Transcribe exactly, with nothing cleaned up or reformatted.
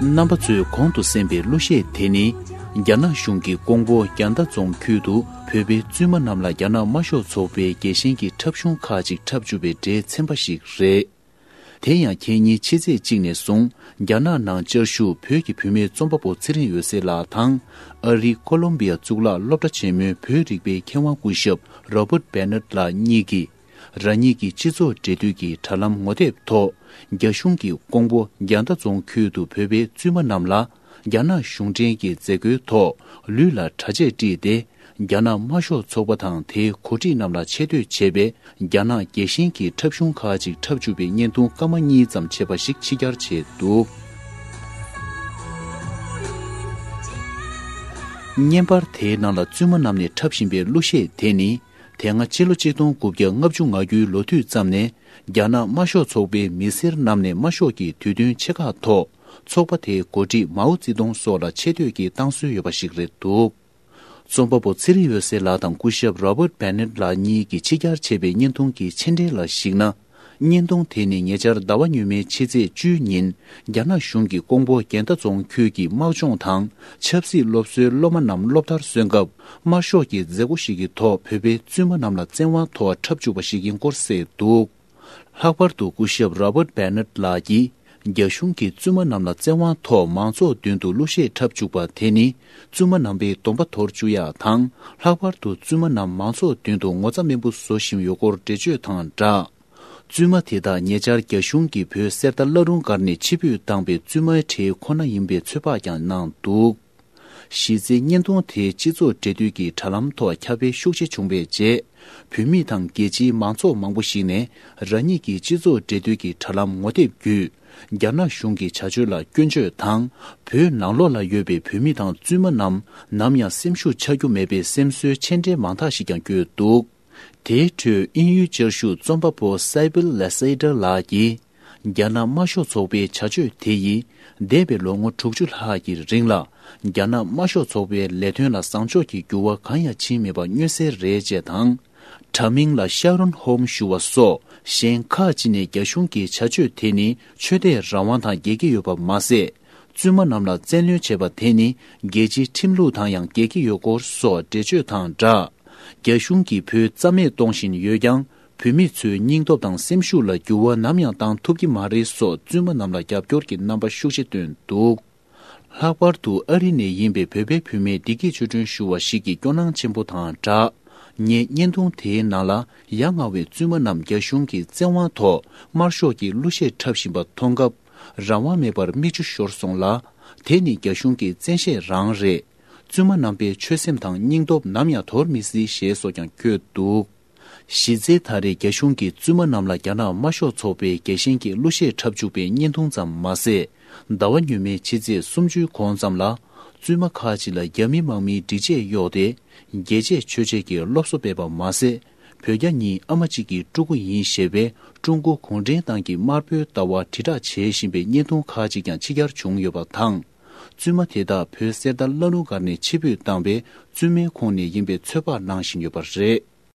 རྣམ་པ་ཚོས་གོང་དུ་གསན་པའི་གླུ་གཞས་དེ་ནི། རྒྱ་ནག་གཞུང་གིས་ཀོང་པོ་རྒྱ་མདའ་རྫོང་ཁུལ་དུ་བོད་པའི་བཙུན་མ་རྣམས་ལ་རྒྱ་ནག་དམར་ཤོག་ཚོགས་པའི་རྒྱལ་ཞེན་གྱི་འཁྲབ་གཞུང་ཁག་ཅིག་འཁྲབ་བཅུག་པའི་སྒྲའི་ཚན་པ་ཞིག་རེད། དེ་ཡང་ཁེ་ཉིན་ཕྱི་ཚེས་གཅིག་ནས་བཟུང་རྒྱ་ནག་ནང་བཅའ་བཞུགས་བོད་ཀྱི་བུད་མེད་རྩོམ་པ་པོ་ཚེ་རིང་འོད་ཟེར་ལགས་དང་། ཨ་རིའི་ཀོ་ལོམ་བི་ཡ་གཙུག་ལག་སློབ་གྲྭ་ཆེན་མོའི་བོད་རིག་པའི་མཁས་དབང་སྐུ་ཞབས་Robert Bennett་ལགས་གཉིས་ཀྱིས། རང་ཉིད་ཀྱི་སྤྱི་ཚོགས་འབྲེལ་མཐུད་ཀྱི་དྲ་ལམ་ངོ་དེབ་ཐོག་རྒྱ་གཞུང་གིས་ཀོང་པོ་རྒྱ་མདའ་རྫོང་ཁུལ་དུ་བོད་པའི་བཙུན་མ་རྣམས་ལ་རྒྱ་ནག་གཞུང་འབྲེལ་གྱི་མཛད་སྒོའི་ཐོག་ལུས་ལ་གྲྭ་ཆས་དཀྲིས་ཏེ། རྒྱ་ནག་དམར་ཤོག་ཚོགས་པ་དང་དེའི་འགོ་ཁྲིད་རྣམས་ལ་ཆེ་བསྟོད་བྱས་པའི་རྒྱ་ནག་རྒྱལ་ཞེན་གྱི་འཁྲབ་གཞུང་ཁག་ཅིག་འཁྲབ་བཅུག་པའི་བརྙན་ཐུང་སྐར་མ་གཉིས་ཙམ་ཆད་པ་ཞིག་ཕྱི་གྱར་བྱས་འདུག་བརྙན་པར་དེའི་ནང་ལ་བཙུན་མ་རྣམས་ནས་འཁྲབ་བཞིན་པའི་གླུ་གཞས་དེ་ནི། དེ་སྔ་ཕྱི་ལོ་ཆིག་སྟོང་དགུ་བརྒྱ་ལྔ་བཅུ་ང་དགུའི་ལོ་དུས་ཙམ་ནས་རྒྱ་ནག་དམར་ཤོག་ཚོགས་པའི་མི་སེར་རྣམས་ནས་དམར་ཤོག་གི་དུས་སྟོན་ཆེ་ཁག་ཐོག་ཚོགས་པ་དེའི་འགོ་ཁྲིད་མའོ་ཙེ་ཏུང་སོགས་ལ་ཆེ་བསྟོད་ཀྱི་བཏང་སྲོལ་ཡོད་པ་ཞིག་རེད་འདུག་རྩོམ་པ་པོ་ཚེ་རིང་འོད་ཟེར་ལགས་དང་སྐུ་ཞབས་Robert Bennett་ལགས་གཉིས་ཀྱིས་ཕྱི་གྱར་བྱས་པའི་བརྙན་ཐུང་གི་མཆན་འགྲེལ་ལ་གཞིགས་ན། བརྙན་ཐུང་དེ་ནི་ཉེ་ཆར་ཟླ་བ་སྔོན་མའི་ཕྱི་ཚེས་བཅུའི་ཉིན་རྒྱ་ནག་གཞུང་གིས་ཀོང་པོ་རྒྱལ་ཟླ་རྫོང་ཁུལ་གྱི་དམག་སྦྱོང་དང་ཆབ་སྲིད་སློབ་གསོའི་སློབ་མ་རྣམས་སློབ་མཐར་སོན་སྐབས་དམར་ཤོག་གི་མཛད་སྒོ་ཞིག་གི་ཐོག་བོད་པའི་བཙུན་མ་རྣམས་ལ་བཙན་དབང་ཐོག་འཁྲབ་བཅུག་པ་ཞིག་ཡིན་སྐོར་གསལ་འདུག་ལྷག་པར་དུ་སྐུ་ཞབས་Robert Bennett་ལགས་ཀྱིས་རྒྱ་གཞུང་གིས་བཙུན་མ་རྣམས་ལ་བཙན་དབང་ཐོག་མང་ཚོགས་མདུན་དུ་གླུ་གཞས་འཁྲབ་བཅུག་པ་དེ་ནི་བཙུན་མ་རྣམ་པའི་སྡོམ་པ་དོར་བཅུག་ཡག་དང་ལྷག་པར་དུ་བཙུན་མ་རྣམས་མང་ཚོགས་མདུན་དུ་ངོ་ཚ་དམན་པོ་བཟོ་བཞིན་ཡོད་སྐོར་འགྲེལ་བརྗོད་དང་སྦྲགས། བཙུན་མ་དེ་དག་ཉེ་ཆར་རྒྱ་གཞུང་གིས་བོད་གསེར་རྟ་བླ་རུང་སྒར་ནས་ཕྱིར་འབུད་བཏང་པའི་བཙུན་མའི་གྲས་ཁོ་ན་ཡིན་པའི་ཚོད་དཔག་ཀྱང་གནང་འདུག་གཞི་རྩའི་བརྙན་ཐུང་དེ་སྤྱི་ཚོགས་འབྲེལ་མཐུད་ཀྱི་དྲ་ལམ་ཐོག་ཁྱབ་སྤེལ་ཤུགས་ཆེ་བྱུང་བའི་རྗེས། བོད་མི་དང་རྒྱལ་སྤྱིའི་མང་ཚོགས་མང་པོ་ཞིག་ནས་རང་ཉིད་ཀྱི་སྤྱི་ཚོགས་འབྲེལ་མཐུད་ཀྱི་དྲ་ལམ་ངོ་དེབ་བརྒྱུད། རྒྱ་ནག་གཞུང་གི་བྱ་སྤྱོད་ལ་སྐྱོན་བརྗོད་དང་། བོད་ནང་ལོགས་ལ་ཡོད་པའི་བོད་མི་དང་བཙུན་མ་རྣམས་ནམ་ཡང་སེམས་ཤུགས་ཆག་རྒྱུ་མེད་པའི་སེམས་གསོའི་མཆན་འགྲེལ་མང་དག་ཞིག་ཀྱང་བཀོད་འདུག་དེའི་ཁྲོད་དབྱིན་ཡུལ་བཅའ་བཞུགས་རྩོམ་པ་པོ་Sybil Lasater་ལགས་ཀྱིས། རྒྱ་ནག་དམར་ཤོག་ཚོགས་པའི་བྱ་སྤྱོད་དེ་ཡིས། འདས་པའི་ལོ་ངོ་དྲུག་ཅུ་ལྷག་གི་རིང་ལ། རྒྱ་ནག་དམར་ཤོག་ཚོགས་པའི་ལས་དོན་ལ་བཟང་ཕྱོགས་ཀྱི་འགྱུར་བ་གང་ཡང་ཕྱིན་མེད་པ་མངོན་གསལ་རེད་ཅེས་དང་། དྲ་མིང་ལ་Sharon Home་ཞུ་བ་སོགས་གཞན་ཁག་ཅིག་ནས་རྒྱ་གཞུང་གི་བྱ་སྤྱོད་དེ་ནི་ཆོས་དད་རང་དབང་དང་འགལ་གྱི་ཡོད་པ་མ་ཟད། བཙུན་མ་རྣམས་ལ་བཙན་གནོན་བྱས་པ་དེ་ནི་རྒྱལ་སྤྱིའི་ཁྲིམས་ལུགས་དང་ཡང་འགལ་གྱི་ཡོད་སྐོར་སོགས་འགྲེལ་བརྗོད་དང་སྦྲགས། རྒྱ་གཞུང་གིས་བོད་རྩ་མེད་གཏོང་བཞིན་ཡོད་ཀྱང་། བོད་མི་ཚོའི་སྙིང་སྟོབས་དང་སེམས་ཤུགས་ལ་འགྱུར་བ་ནམ་ཡང་བཏང་ཐུབ་ཀྱི་མ་རེད་སོགས་བཙུན་མ་རྣམས་ལ་རྒྱབ་སྐྱོར་གྱི་རྣམ་པ་ཤུགས་ཆེ་བཏོན་འདུག་ལྷག་པར་དུ་ཨ་རི་ནས་ཡིན་པའི་བོད་པའི་བུད་མེད་བདེ་སྐྱིད་ཆོས་སྒྲོན་ཞུ་བ་ཞིག་གིས་སྐྱོ་སྣང་ཆེན་པོ་དང་སྦྲགས། ངས་བརྙན་ཐུང་དེའི་ནང་ལ་ཡ་ང་བའི་བཙུན་མ་རྣམས་རྒྱ་གཞུང་གིས་བཙན་དབང་ཐོག་དམར་ཤོག་གི་གླུ་གཞས་འཁྲབ་བཞིན་པ་མཐོང་སྐབས་རང་དབང་མེད་པར་མིག་ཆུ་ཤོར་སོང་ལ། དེ་ནི་རྒྱ་གཞུང་གི་བཙན་ཤེད་རང་རེད། བཙུན་མ་རྣམ་པའི་ཆོད་སེམས་དང་སྙིང་སྟོབས་ནམ་ཡང་དོར་མི་སྲིད་ཞེས་སོགས་ཀྱང་བཀོད་འདུག་གཞི་རྩའི་ད་རེས་རྒྱ་གཞུང་གིས་བཙུན་མ་རྣམས་ལ་རྒྱ་ནག་དམར་ཤོག་ཚོགས་པའི་རྒྱལ་ཞེན་གྱི་གླུ་གཞས་འཁྲབ་བཅུག་པའི་བརྙན་ཐུང་ཙམ་མ་ཟད། ཟླ་བ་སྔོན་མའི་ཕྱི་ཚེས་སུམ་ཅུའི་གོང་ཙམ་ལ། བཙུན་མ་ཁག་ཅིག་ལ་རྒྱ་མི་དམག་མིའི་སྒྲིག་ཆས་གཡོགས་ཏེ། རྒྱལ་གཅེས་ཆོས་གཅེས་ཀྱི་སློབ་གསོ་སྤེལ་བ་མ་ཟད། བོད་རྒྱ་གཉིས་ཨ་མ་གཅིག་གི་ཕྲུ་གུ་ཡིན་ཞེས་པའི་ཀྲུང་གོ་གུང་ཁྲན་ཏང་གི་དམར་པོའི་ལྟ་བ་དྲིལ་བསྒྲགས་བྱེད་བཞིན་པའི་བརྙན་ཐུང་ཁག་ཅིག་ཀྱང་ཕྱི་གྱར་བྱུང་ཡོད་པ་དང་། བཙུན་མ་དེ་དག་བོད་གསེར་རྟ་བླ་རུང་སྒར་ནས་ཕྱིར་འབུད་བཏང་བའི་བཙུན་མའི་ཁོངས་ནས་ཡིན་པའི་ཚོད་དཔག་གནང་བཞིན་ཡོད་པ་རེད།